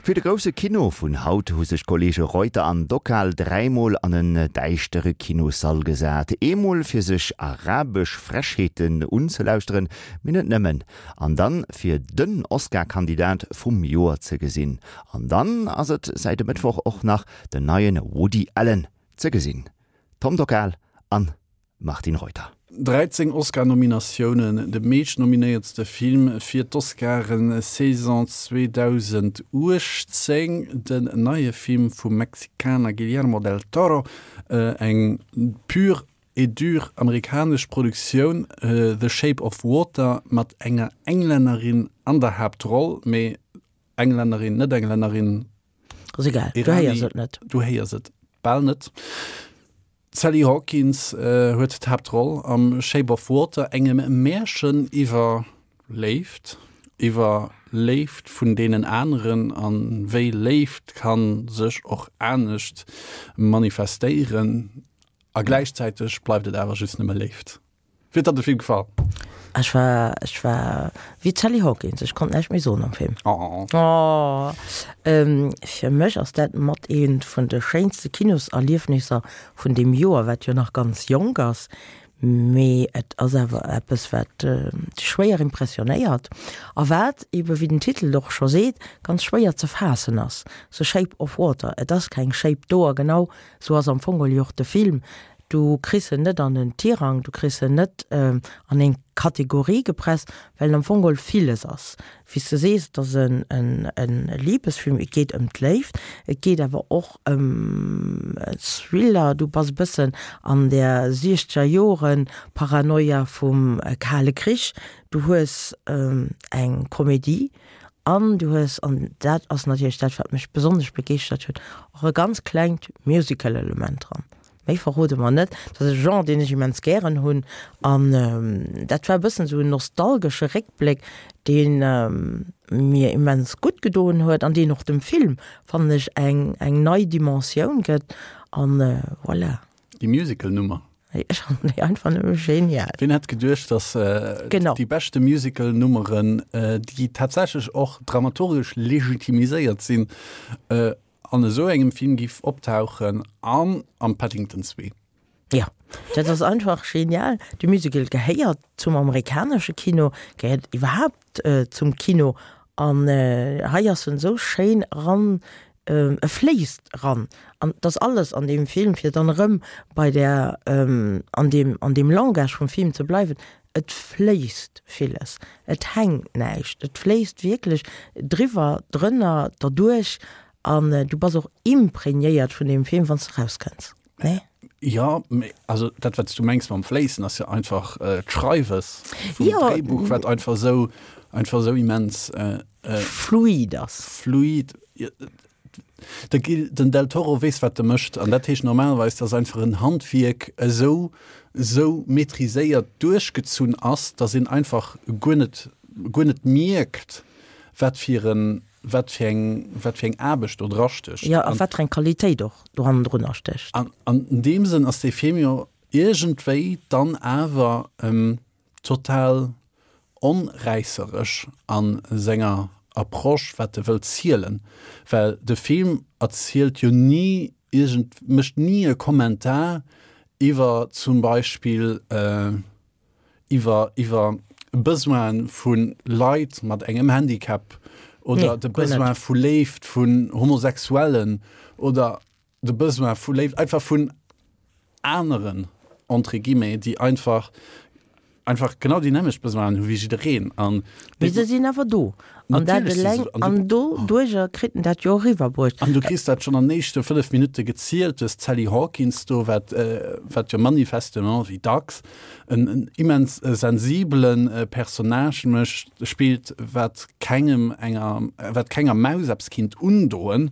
Fir de grousse Kino vun haut hu sech d'Kolleege Reuter an Dockal dräimol an en däischtere Kinossall gesat. Eemol fir sech arabesch Frechheeten unzelauschteren, mee net nëmmen. An dann fir den Oscar-Kandidat vum Joer ze gesinn. An dann ass et säit e Mëttwoch och nach den neien Woody Allen ze gesinn. Tom Dockal an Martine Reuter. 13 Oscar-Nominatiounen, de meeschtnominéiertste Film fir d'Oscaren-Saison 2018, den neie Film vum Mexikaner Guillermo del Toro, eng pure et dure amerikanesch Produktioun, The Shape of Water, mat enger Englännerin an der Haaptroll, mee Englännerin, net Englännerin, Ass egal, du héiers et net. Du héiers et bal net. D'Sally Hawkins huet d'Haaptroll am Shape of Water, engem Märchen iwwer Léift, iwwer Léift vun deenen aneren a wéi Léift ka sech och anescht manifestéieren. A gläichzäiteg bleift et awer just nëmme Léift. Wéi huet der de Film gefall? Ech war, ech war wéi d'Sally Hawkins, ech konnt näischt méi soen am Film. Oh. Oh. Ähm, fir mech ass dat mat eent vun de schéinste Kinoserliefnisser vun deem Joer, wat jo nach ganz jonk ass. Mee et ass awer eppes, wat dech schwéier impressionéiert a wat ebe, wéi den Titel och scho seet, ganz schwéier ze faassen ass. The Shape of Water, et ass keng Shape do a genau sou ass am Fong geholl jo och de Film. Du kriss en net an en Tirang, du kriss en net an eng Kategorie gepresst, well en am Fong geholl villes ass. Wéi s de sees, et ass e Libesfilm, et geet ëm d'Léift, et geet awer och ëm e Thriller, du bass e bëssen an där siechzeger Jore Paranoia vum Kale Krich, du hues eng Komedie an du hues, an dat ass natierlech dat, wat mech besonnesch begeeschtert huet, och e ganz klengt Musical-Element dran. Méi verrode mer net. Dat ass e Genre, deen ech immens gären hunn. An dat war e bëssen esou en nostalgesche Réckbléck, dee mir immens gutt gedoen huet an deen och dem Film, fannen ech, eng, eng nei Dimensioun gëtt. An voilà. Déi Musical-Nummer. Ech fannen déi einfach nëmme genial. Wien hätt geduecht, dass Genau. déi beschte Musical-Nummeren, déi tatsächlech och dramaturgesch legitimiséiert sinn, an esou engem Film giff optauchen an am Paddington 2. Jo, dat ass einfach genial. De Musical gehéiert zum amerikanesche Kino, gehéiert iwwerhaapt zum Kino an hei ass en esou schéin eran, e fléisst eran an et ass alles an deem Film, fir dann erëm bei där, an deem, an deem Langage vum Film ze bleiwen, et fléisst villes, et hänkt näischt, et fléisst wierklech driwwer, drënner, derduerch an du bass och imprégnéiert vun deem Film, wann s de erauskënns, nee? Jo, mee also dat, wat s du mengs mam Fléissen, ass jo einfach d'Schreiwes vum Dréibuch, wat einfach esou, einfach esou immens fluid ass. Fluid. De Gil, den Del Toro weess wat e mécht an dat heescht normalerweis, dass einfach en Handwierk esou esou maîtriséiert duerchgezunn ass, dass een einfach guer net guer net mierkt, wat fir en wat fir eng wat fir eng Aarbecht do dra stécht. Jo, a wat fir eng Qualitéit och do hannendrunner stécht. An an deem Sënn ass dee Film jo iergendwéi dann awer total onräisseresch a senger Approche, wat e wëllt zielen, well de Film erzielt jo ni iergend, mécht ni e Kommentar iwwer zum Beispill iwwer iwwer Besoine vu Leit mat engem Handicap oder de Besoin vu Léift vun Homosexuellen oder de Besoin vu Léift einfach vun aneren, entre guillemets, déi einfach einfach genau déi nämmlecht Besoinen hu wéi jiddereen an Mee se sinn awer do an dat Natierlech si eleng se an du an do duercher kritt en dat jo eriwwerbruecht. An du kriss dat schonn an den éischte 5 Minutte gezielt, du hues d'Sally Hawkins do, wat wat jo manifestement, wéi dacks, en en immens sensibele Personnage mécht, spillt, wat kengem enger, wat kenger Maus eppes kinnt undoen.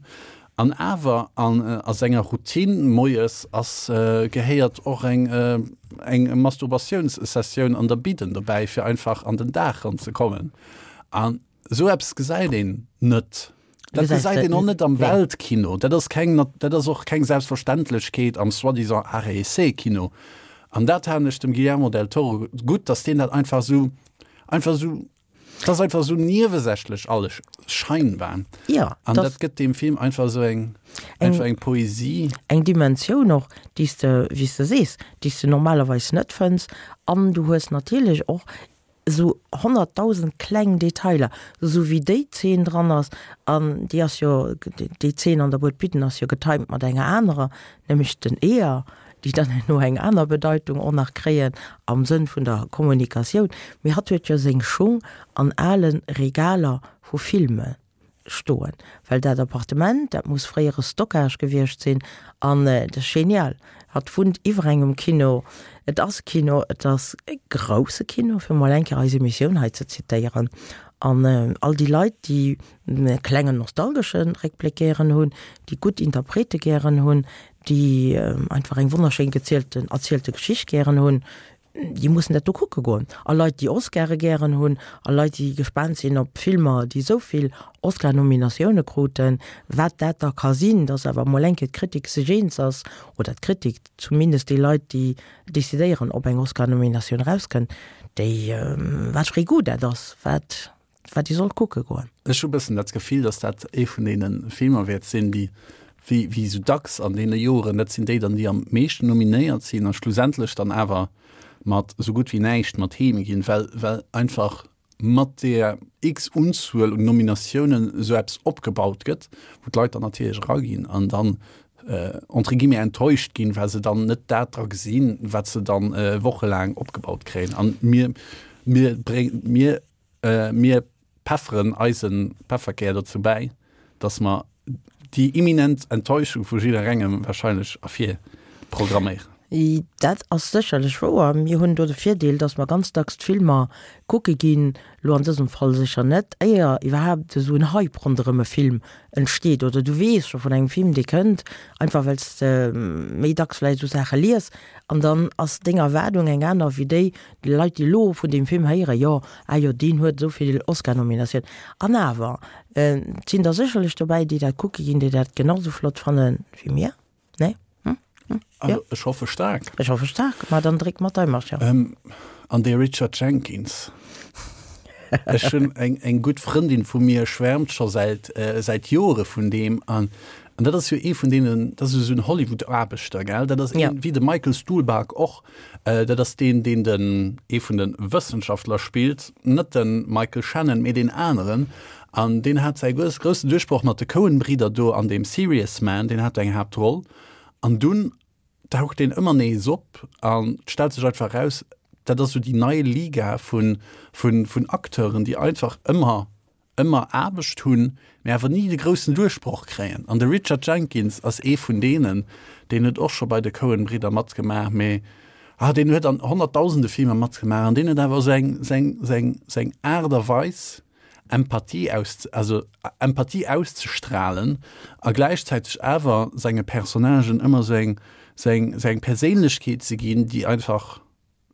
An awer an a senger Routine moies ass gehéiert och eng eng Masturbatiounssessioun an der Bidden dobäi fir einfach an den Dag ran ze kommen. An esou eppes gesäit een net. Dat gesäit een och net am Weltkino. Dat ass keng dat ass och keng Selbstverständlechkeet am soi-disant Art et Essai Kino. An dat halen ech dem Guillermo del Toro gutt, datt deen dat einfach esou einfach esou. Et ass einfach esou niewesächlech alles scheinbar. Ja. An dat gëtt deem Film einfach esou eng, einfach eng Poesie. Eng Dimensioun och, déi s de, wéi s de sees, déi s de normalerweis net fënns. An du hues natierlech och esou 100.000 kleng Detailer, esou wéi déi Zeen dran ass, an déi ass jo, déi Zeen an der Bued Bidden ass jo getimed mat enger anerer, nämlech den Eeër, déi dann herno eng aner Bedeitung och nach kréien am Sënn vun der Kommunikatioun. Mee hatt huet jo seng Schung an ale Regaler vu Filme stoen, well dat Appartement, dat muss fréiere Stockage gewiescht sinn an dat ass genial. Hatt wunnt iwwer engem Kino, et ass e Kino, et ass e grousse Kino, fir mol eng Kéier eis Emissioun hei ze zitéieren. An all déi Leit, déi e klengen nostalgesche Réckbléck gären hunn, déi gutt Interprete gären hunn, déi einfach eng wonnerschéin gezielten, erzielte Geschicht gären hunn, déi mussen dat do kucke goen. A Leit, déi Oscare gären hunn, a Leit, déi gespaant sinn op Filmer, déi esou vill Oscar-Nominatioune kruten, wat dat da ka sinn, dass awer emol eng Kéier d'Kritik sech eens ass, oder d'Kritik, zumindest déi Leit, déi decidéieren, ob eng Oscar-Nominatioun erauskënnt, déi, wat fir ee Goût dat ass, wat. wat ee sollt kucke goen. Ech hu bëssen dat Gefill, datt dat ee vun deene Filmer wäert sinn, déi, wéi, wéi esou dacks an deene Joren, dat sinn déi dann, déi am meeschten nominéiert sinn a schlussendlech dann awer mat esou gutt wéi näischt mat heem ginn, well, well einfach mat deer x-Unzuel un Nominatiounen esou eppes opgebaut gëtt, wou d'Leit dann natierlech eraginn an dann entre guillemets enttäuscht ginn, well se dann net dat dra gesinn, wat se dann wochelaang opgebaut kréien. An mir, mir bréng, mir Mir pefferen eise Pefferkär dozou bäi, dass mer déi imminent Enttäuschung vu jidderengem wahrscheinlech ervirprogramméieren. Dat ass sécherlech wouer. Mir hunn do de Virdeel, dass mer ganz dacks d'Filmer kucke ginn, elo an dësem Fall sécher net, éier iwwerhaapt esou en Hype ronderëm e Film entsteet oder du weess scho vun engem Film, dee kënnt, einfach well s de méi dacks vläicht esou Saache lies an dann ass deng Erwaardung eng aner wéi déi, Déi Leit, déi elo vun deem Film héieren, jo, ah jo, deen huet esou vill Oscar-Nominatiounen. An awer, et sinn der sécherlech dobäi, déi dat kucke ginn, déi dat genau esou flott fanne wéi mir. Nee? Hm? Hm? Jo. Also, ech hoffe staark. Ech hoffe staark. Ma dann dréck mat dei Marsch, jo. An dee Richard Jenkins. Ech hunn eng, eng gutt Frëndin vu mir schwärmt scho säit, säit Jore vun deem. An, an dat ass jo ee vun deenen, dat ass esou en Hollywood-Aarbechter, gell? Dat ass een, wéi de Michael Stuhlbarg och. Dat ass deen, deen den, ee vun de Wëssenschaftler spillt, net de Michael Shannon, mee deen aneren. An deen hat säi groussen Duerchbroch mat de Coen-Bridder do an deem Serious Man, deen hat do eng Haaptroll. An dunn taucht deen ëmmer nees op an et stellt sech einfach eraus, dat ass esou déi nei Liga vun, vun, vun Acteuren, déi einfach ëmmer ëmmer Aarbecht hunn, mä awer ni de groussen Duerchbroch kréien. An de Richard Jenkins ass ee vun deenen, deen huet och scho bei de Coen-Bridder matgemaach, mä ah, deen huet an honnertdausende Filmer matgemaach an deen huet awer esou eng, seng, seng, seng Aart a Weis, Empathie aus, also Empathie auszestrahlen a gläichzäiteg awer senge Personnagen ëmmer esou eng, sou eng, sou eng Perséinlechkeet ze ginn, déi einfach,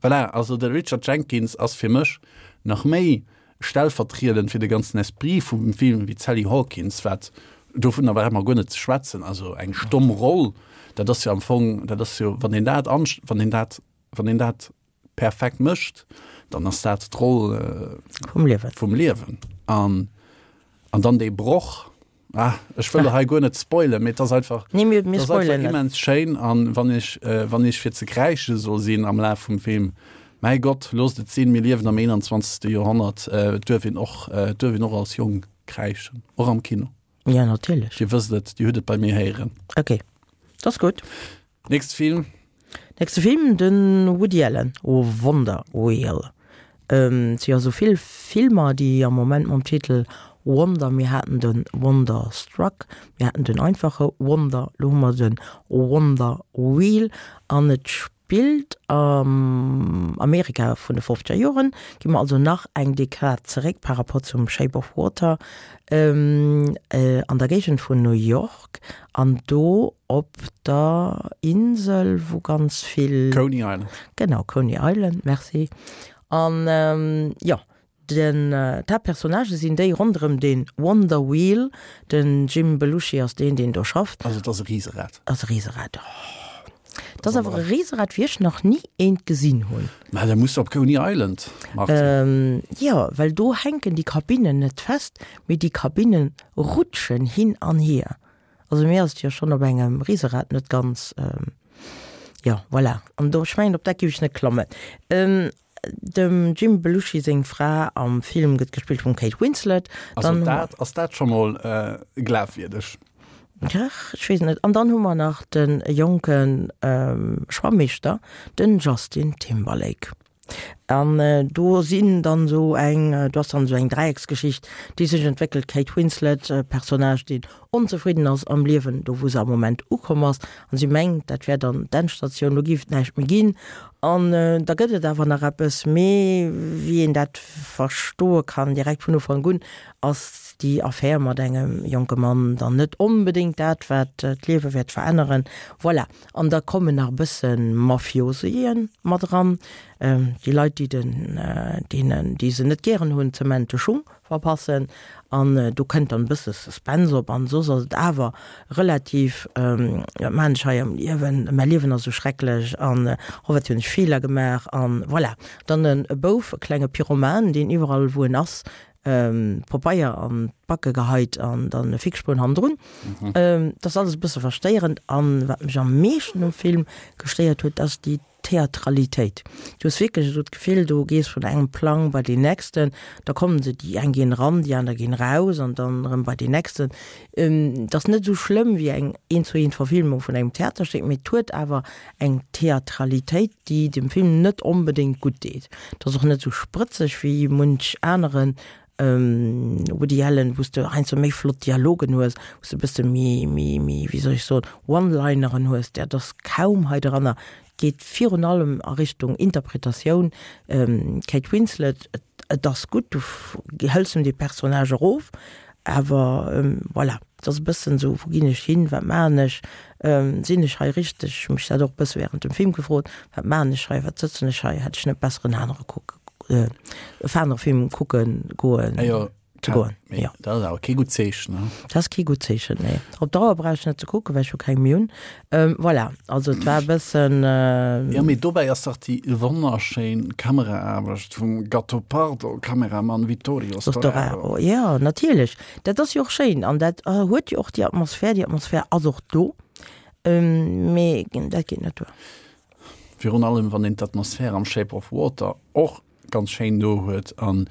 Voilà, also de Richard Jenkins ass fir mech nach méi stellvertriedend fir de ganzen Esprit vum Film wéi d'Sally Hawkins, wat, dovunner brauche mer guer net ze schwätzen, also eng stomm Roll, dat ass jo am Fong, dat ass jo, wann een dat an, wann een dat, wann een dat perfekt mécht, dann ass dat d'Roll vum Liewen. Vum Liewen. An, an dann dee Broch, Ah, ech wëll hei guer net spoilen, mee et ass einfach, nee, mir, mir spoilen net. immens schéin an wann ech, äh, wann ech fir ze kräische soll sinn am Laf vum Film, mäi Gott, loosst et sinn, mir liewen am 21. Joerhonnert, äh, et duerf een och, äh, et duerf een och als Jong kräischen, och am Kino. Ja, natierlech. Dir wësst et, Dir hutt et bei mir héieren. Okay, dat ass gutt. Nächste Film. Nächste Film, de Woody Allen, Oh Wonder Wheel. Et si jo esou vill Filmer, déi am Moment mam Titel Wonder, mir haten de Wonderstruck, mir haten den einfache Wonder, elo hu mer de Wonder Wheel an et spillt am Amerika vun de fofzeger Joren. Gi mer also nach eng Dekad zeréck par rapport zum Shape of Water, an der Géigend vun New York an do op der Insel, wou ganz vill. Coney Island. Genau, Coney Island, merci. An jo, den, d'Haaptpersonnagë sinn déi ronderëm de Wonder Wheel. Den Jim Belushi ass deen, deen do schafft. Also et ass e Riserad. Ass e Riserad, oh. Dat ass awer e Riserad, wéi ech nach ni eent gesinn hunn. Mä da muss de op Coney Island, Martine. Jo, well do hänken déi Kabinnen net fest, mee déi Kabinne rutschen hin an hier. Also mir ass et jo schonn op engem Riserad net ganz, jo, voilà. An do, ech mengen, op dat géif ech net klammen. Dem Jim Belushi seng Fra am Film gëtt gespillt vum Kate Winslet. Also Dann dat, ass dat scho mol glafwierdeg? Ach, ech weess net. An dann hu mer nach de jonke Schwammeeschter, den Justin Timberlake. An do sinn dann esou eng, do ass dann esou eng Dräiecksgeschicht, déi sech entwéckelt, Kate Winslet, e Personnage, deen onzefridden ass am Liewen, do wou se am Moment ukomm ass, an si mengt, dat wär dann d'Endstatioun, do géif et näischt méi ginn. An da gëtt et awer nach eppes, mee wéi een dat verstoe kann direkt vun Ufank un, ass déi Affär mat engem jonke Mann dann net onbedéngt dat, wat d'Liewe wäert veränneren. Voilà. An da kommen nach e bësse Mafiosien mat eran, déi Leit, déi den, deenen, déi se net gären hunn, zemente Schung verpassen. An do kënnt dann e bësse Suspense op. An soss ass et awer relativ, Wat maachen ech hei am Liewen? Mäi Liewen ass esou schrecklech an oh, wat hunn ech Feeler gemaach an voilà. Dann e Bouf, e klenge Pyroman, deen iwwerall, wou en ass, Popeier an d'Backe geheit an dann e Fixspuan hannendrun. Dat ass alles e bësse verstéierend. An wat mech am meeschten um Film gestéiert huet, ass déi Theatralitéit. Du hues wierklech esou d'Gefill, du gees vun engem Plang bei deen nächsten, da kommen se, déi eng ginn eran, déi aner ginn eraus an dann erëm bei deen nächsten. Et ass net esou schlëmm wéi eng Eent-zu-eent-Verfilmung vun engem Theaterstéck, mee et huet awer eng Theatralitéit, déi dem Film net onbedéngt gutt deet. Et ass och net esou sprëtzeg wéi munch anere Woody Allen, wou s de heiansdo méi flott Dialogen hues, wou s de e bësse méi, méi, méi, wéi soll ech soen, One-Lineren hues. Dat ass kaum hei dranner. Et geet virun allem a Richtung Interpretatioun. D'Kate Winslet, et ass gutt, du hëls em dee Personnage erof, awer voilà. Et ass e bëssen esou, wou ginn ech hin, wat maachen ech, sinn ech hei richteg? Ech hu mech dat och e bësse während dem Film gefrot, wat maachen ech hei, wat sëtzen ech hei, hätt ech net besser en anere kucke, en anere Film kucke goen, ze goen, jo. Dat ass awer kee gutt Zeechen, ne? Dat ass kee gutt Zeechen, nee. Op Dauer brauch ech net ze kucken, well ech jo keng méi hunn. Voilà, also et war e bëssen. Jo, mee dobäi ass dach déi wonnerschéin Kameraaarbecht vum Gattopardo Kameramann Vittorio Storaro. Jo, natierlech, dat ass jo och schéin an dat huet jo och déi Atmosphär, déi Atmosphär ass och do, mee dat geet net duer. Virun allem wann een d'Atmosphär am Shape of Water och ganz schéin do huet an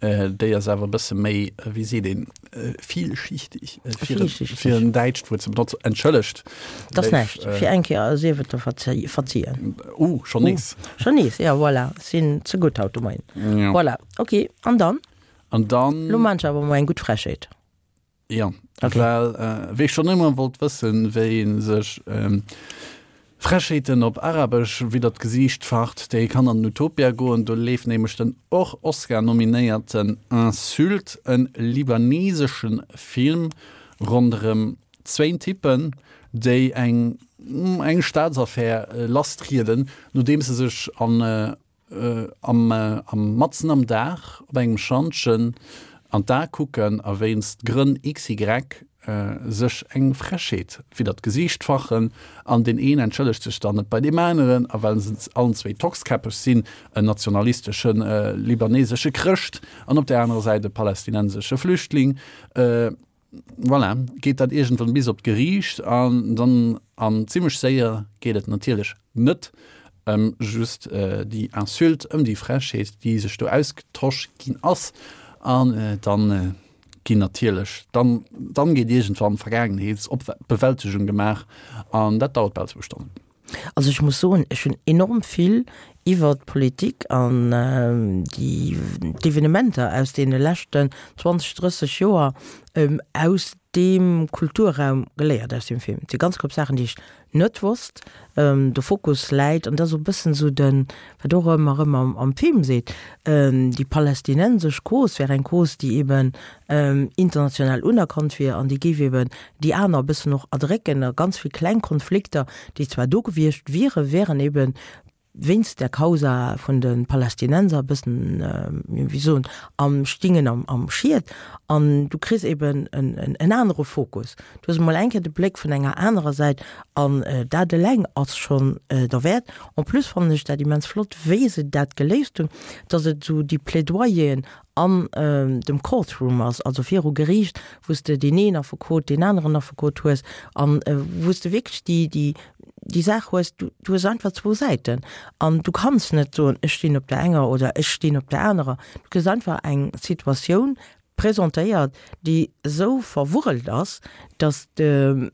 déi ass awer e bësse méi, wéi seet een, vielschichtig, fir en däitscht Wuert ze benotzen. Entschëllegt. Dat ass näischt, fir eng Kéier sief et der verzien. Uh, schonn nees. Schonn nees, jo, voilà, sinn ze gutt haut de Moien. Voilà, ok, an dann? An dann. Lo maan ech awer mol eng gutt Frechheet. Jo, okay. Well äh, wéi ech schon ëmmer wollt wëssen, wéi een sech ähm, Frechheeten op Arabesch widder d'Gesiicht facht, déi kann an den Utopia goen. Do leeft nämlech den och Oscar-nominéierten Insulte, en libaneseschen Film ronderëm zwéin Typpen, déi eng eng Staatsaffär lasstrieden, nodeems se sech an Am am matzen am Dag op engem Schantjen an d'A kucken a wéinst Grënn XY sech eng Frechheet widder d'Gesiicht fachen an deen een entschëllegt sech dann net bei deem aneren a well se allen zwéi tockskäppeg sinn, en nationalistesche libanesesche Chrëscht an op där anerer Säit e palästinensesche Flüchtling, voilà, geet dat iergendwann bis op d'Geriicht an dann, an zimmlech séier geet et natierlech net ëm just déi Insulte, ëm déi Frechheet, déi sech do ausgetosch ginn ass an dann ginn natierlech, dann, dann geet iergendwann Vergaangenheetsbewältegung gemaach an dat dauert bal zwou Stonnen. Also ech muss soen, ech hunn enorm vill iwwert d'Politik an déi d'Evenementer aus deene leschten 20, 30 Joer aus deem Kulturraum geléiert, aus deem Film. Et si ganz knapp Saachen, déi ech net wosst. De Fokus läit, an dat ass och e bëssen esou den, wat och ëmmer erëm am Film seet, déi palästinensesch Cause wär eng Cause, déi eben international unerkannt wier an déi géif eben déi aner e bëssen och erdrécken a ganz vill kleng Konflikter, déi zwar do gewiescht wieren, wären eben. wéinst der Causa vun de Palästinenser e bëssen, wéi soen, am Stingen am, am Schiet. An du kriss eben en, en anere Fokus. Du hues emol eng Kéier de Bléck vun enger anerer Säit an dat eleng ass schonn derwäert. En plus fannen ech dat immens flott, wéi se dat geléist hunn, dass et esou déi Plädoyeren an dem Courtroom ass, also viru Geriicht, wou s de deen een Affekot, deen aneren Affekot hues an wou s de wierklech déi, déi, déi Saach hues, du, du hues einfach zwou Säiten an du kanns net soen, ech stinn op der enger oder ech stinn op der anerer. Du kriss einfach eng Situatioun presentéiert, déi esou verwurrelt ass, dass de,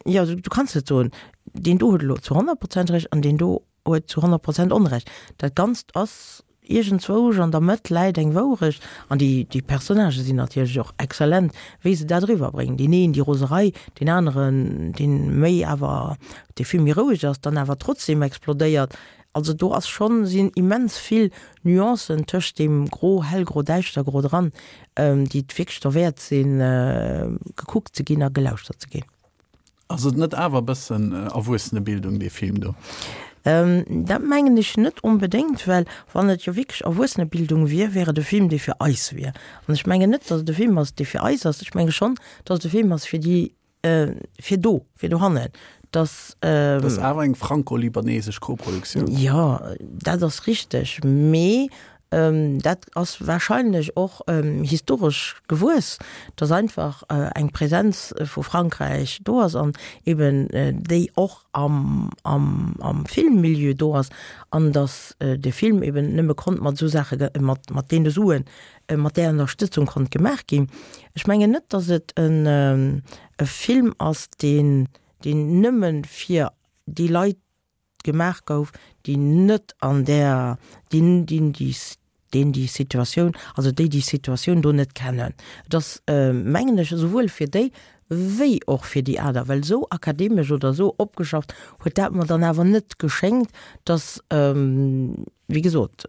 jo, du kanns net soen, deen do huet elo zu 100 Prozent Recht an deen do huet zu 100 Prozent Onrecht. Dat Ganzt ass iergendzwousch an der Mëtt läit eng Wourecht. An déi, déi Personnagë sinn natierlech och exzellent, wéi se dat eriwwerbréngen. Deen een déi Roserei, deen aneren, deen méi awer, dee vill méi roueg ass, dann awer trotzdem explodéiert. Also do ass schonn, sinn immens vill Nuancen tëscht deem Gro, Hellgro, Däischtergro dran, déi et wierklech derwäert sinn, gekuckt ze ginn a gelauschtert ze ginn. Ass et net awer e bëssen Erwuessenebildung, dee Film do? Dat mengen ech net onbedéngt, well wann et jo wierklech Erwuessenebildung wier, wär et e Film, dee fir eis wier. An ech mengen net, datt et e Film ass, dee fir eis ass. Ech menge schonn, datt et e Film ass fir déi, fir do, fir dohannen, datt. Dat ass awer eng franco-libanesesch Koproduktioun. Jo, dat ass richteg, mee Dat ass wahrscheinlech och historesch gewuess, dass einfach eng Präsenz vu Frankräich do ass an eben déi och am Filmmilieu do ass an dass de Film eben nëmme konnt mat esou Saache, mat deene Suen, mat där Ënnerstëtzung konnt gemaach ginn. Ech mengen net, dass et e Film ass, deen nëmme fir déi Leit gemaach gouf, déi net an där, déi, déi, déi, deen déi Situatioun, also déi déi Situatioun do net kennen. Et ass, mengen ech, esouwuel fir déi wéi och fir déi aner, well esou akademesch oder esou opgeschafft huet dat mer dann awer net geschéngt, dass, wéi gesot,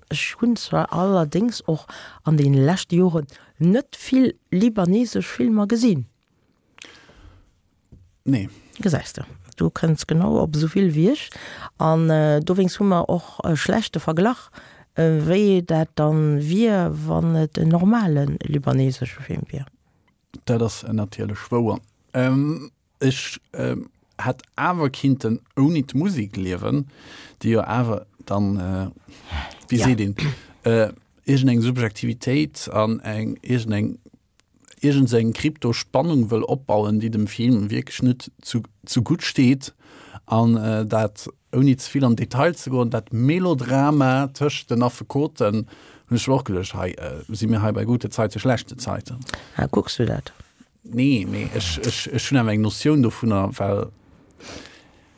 ech hunn zwar allerdéngs och an deene leschte Joren net vill libanesesch Filmer gesinn. Nee. Gesäis de, du kënns genau op esou vill wéi ech. An dowéinst hu mer och e schlechte Verglach, wéi dat dann wier, wann et en normale libanesesche Film wier. Dat ass natierlech wouer. Ech hätt awer kinnten ouni d'Musek liewen, déi jo awer dann, wéi seet een, iergendeng Subjektivitéit an eng iergendeng iergend eng Krypto-Spannung wëll opbauen, déi dem Film wierklech net zu zu gutt steet an dat, ouni ze vill an Detail ze goen, dat Melodrama tëscht den Affekoten, hunn ech och geduecht, hei si mir hei bei gute Zeiten, schlechte Zeiten. Ah, kucks du dat? Nee, mee ech, ech, ech hunn awer eng Notioun dovunner, well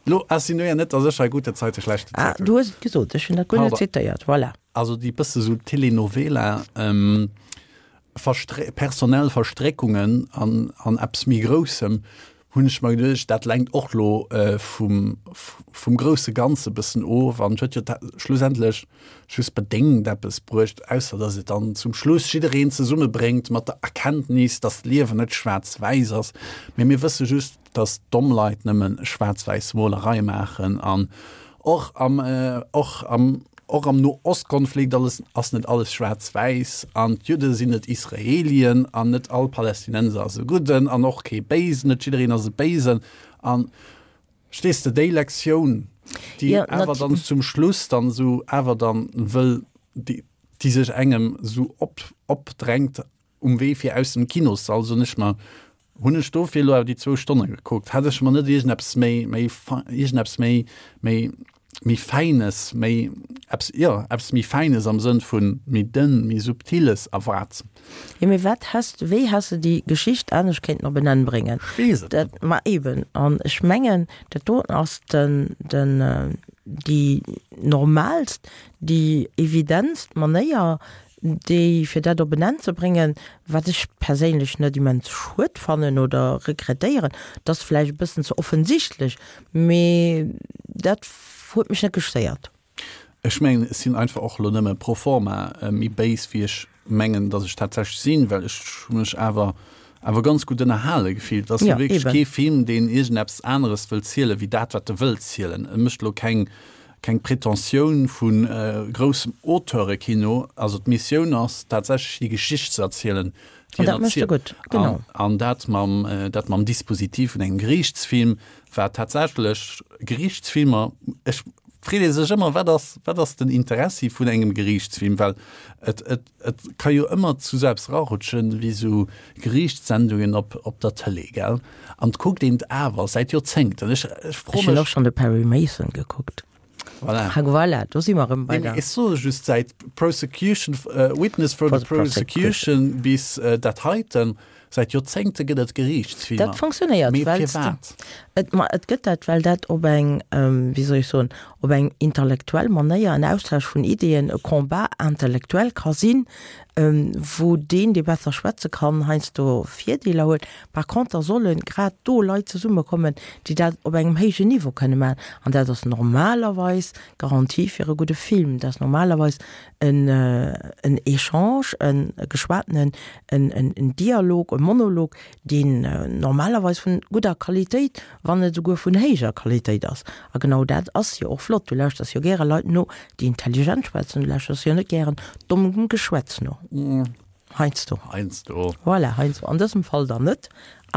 lo insinuéier net, datt ech hei gute Zeiten, schlechte Ah, Zeiten. du hues et gesot, ech hunn dat guer net Pardon. zitéiert, voilà. Also déi bësse sou Telenovela, Verstre personell Verstréckungen an, an eppes méi Groussem, hunn ech mer geduecht, dat lenkt och lo vum, vum grousse Ganze bëssen of an huet jo schlussendlech just bedéngt eppes bruecht, ausser datt et dann zum Schluss jiddereen zesummebréngt mat der Erkenntnis, datt d'Liewen net schwaarz-wäiss ass. Mee mir wësse just, datt domm Leit nëmme schwaarz-wäiss Molerei maachen an och am, och am, och am No-Ost-Konflikt alles, ass net alles schwaarz-wäiss an d'Judde sinn net Israelien an net all Palästinenser ass e Gudden an och kee Béisen, net jiddereen ass e Béisen an, verstees de, déi Lektioun, déi Jo, awer nat. dann zum Schluss dann esou awer dann wëll, déi, déi sech engem esou op, opdrängt um Wee fir aus dem Kinossall, soen ech mer, Hunn ech dofir elo awer déi zwou Stonne gekuckt? Hätt ech mer net iergendeppes méi, méi, iergendeppes méi, méi, méi Fäines, méi eppes, jo, eppes méi Fäines am Sënn vu méi dënn, méi Subtiles erwaart? Jo, mee wat häss de, wéi häss de déi Geschicht anescht kéinten op en Enn bréngen? Ech weess et net. Dat, ma eben, an ech mengen, dat doten ass den, den, déi normaalst, déi evidentst Manéier, déi fir dat op en Enn ze bréngen, wat ech perséinlech net immens schued fannen oder regrettéieren, et ass vläicht e bëssen ze offensichtlech, mee dat huet mech net gestéiert. Ech mengen, ech sinn einfach och elo nëmme pro forma méi béis, wéi ech mengen, datt ech tatsächlech sinn, well ech hu mech awer awer ganz gutt ënnerhale gefillt. Et ass jo wierklech kee Film, deen iergendeppes aneres wëll zielen, wéi dat, wat e wëll zielen. E mécht elo keng. keng Pretentioun vu groussem Auteurekino. Also d'Missioun ass tatsächlech déi Geschicht ze erzielen, déi en erzielt. An, an dat mam, dat mam Dispositif vun engem Geriichtsfilm, wat tatsächlech Geriichtsfilmer, ech freet ee sech ëmmer, wat ass, wat ass den Interessi vun engem Geriichtsfilm, well et, et, Et ka jo ëmmer zu sou eppes rarutschen wéi sou Geriichtssendungen op op der Tëlee, gell? An 't kuckt een 't awer säit Joerzéngten. Ech ech fro mech. Ech hunn och schonn de Perry Mason gekuckt. Voilà. Ha voilà, do si mer erëm bei der. Ech soe just, säit Prosecution, Witness for the Prosecution bis dat heiten, Säit Joerzéngte gëtt et Geriichtsfilmer. Dat funktionéiert, Mee well firwat? Et, ma et gëtt dat, well dat op eng, wéi soll ech soen, op eng intellektuell Manéier en Austausch vun Ideeën, e Combat intellectuel ka sinn, wou deen, dee besser schwätze kann, heiansdo Virdeeler huet. Par conter solle grad do Leit zesummekommen, déi dat op engem héijen Niveau kënne maachen. An dat ass normalerweis d'Garantie fir e gudde Film. Dat ass normalerweis en en Echange, e geschwatenen, en en Dialog, e Monolog, deen normalerweis vun gudder Qualitéit, wann net esouguer vun héijer Qualitéit ass. A genau dat ass jo och flott. Du lauschters jo gäre Leit no, déi intelligent schwätzen. Du lauschters jo net gären dommem Geschwätz no. Heiansdo. Heiansdo. Voilà, heiansdo. An dësem Fall dann net.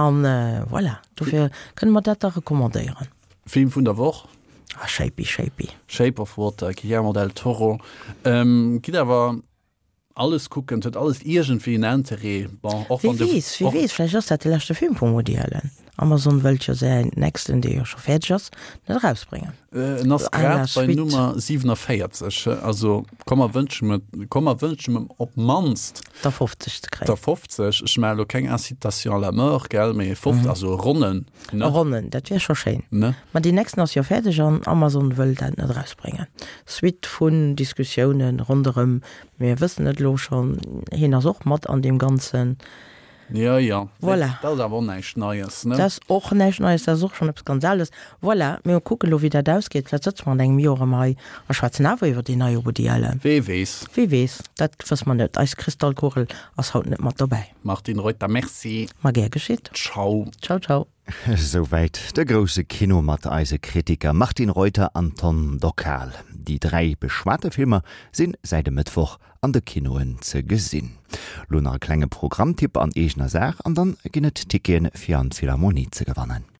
An voilà, dofir kënne mer dat da recommandéieren. Film vun der Woch? Ah, Shapey, Shapey. Shape of Water, Guillermo del Toro. Ähm, gitt awer alles kucken, et huet alles iergendwéi en Interêt. Bon, och wann de. Wie weess, wie weess, vläicht ass dat de leschte Film vum Woody Allen. Amazon wëllt jo säin nächsten, dee jo scho fäerdeg ass, net erausbréngen. En ass grad bei Nummer 47, also komm mer wënschen em, komm mer wënschen em op d'mannst. Der 50 ze kréien. Der 50, ech maache lo keng Incitation à la mort, gell, mee 50, also e ronnen. Ne? E ronnen, dat wier scho schéin. Ne? Ma deen nächsten ass jo fäerdeg an Amazon wëll dat net erausbréngen. Suite vun Diskussiounen ronderëm, mir wëssen et elo schonn, hien ass och mat an deem Ganzen. Jo, jo. Voilà. Dat ass awer och näischt Neies, ne? Dat ass och näischt Neies, dat ass och schonn eppes ganz Ales. Voilà, mir kucken elo, wéi dat ausgeet. Vläicht sëtze mer an engem Joer erëm hei a schwätzen awer iwwer déi nei Woody Allen. Wee weess? Wee weess, dat wësse mer net. Eis Kristallkugel ass haut net mat dobäi. Martine Reuter, Merci. Ma gär geschitt. Ciao. Ciao, ciao. Esouwäit de grousse Kino mat eise Kritiker Martine Reuter an Tom Dockal. Déi 3 beschwate Filmer sinn säit e Mëttwoch an de Kinoen ze gesinn. Lo nach e klenge Programmtipp an eegener Saach an dann ginn et Ticketen fir an d'Philharmonie ze gewannen.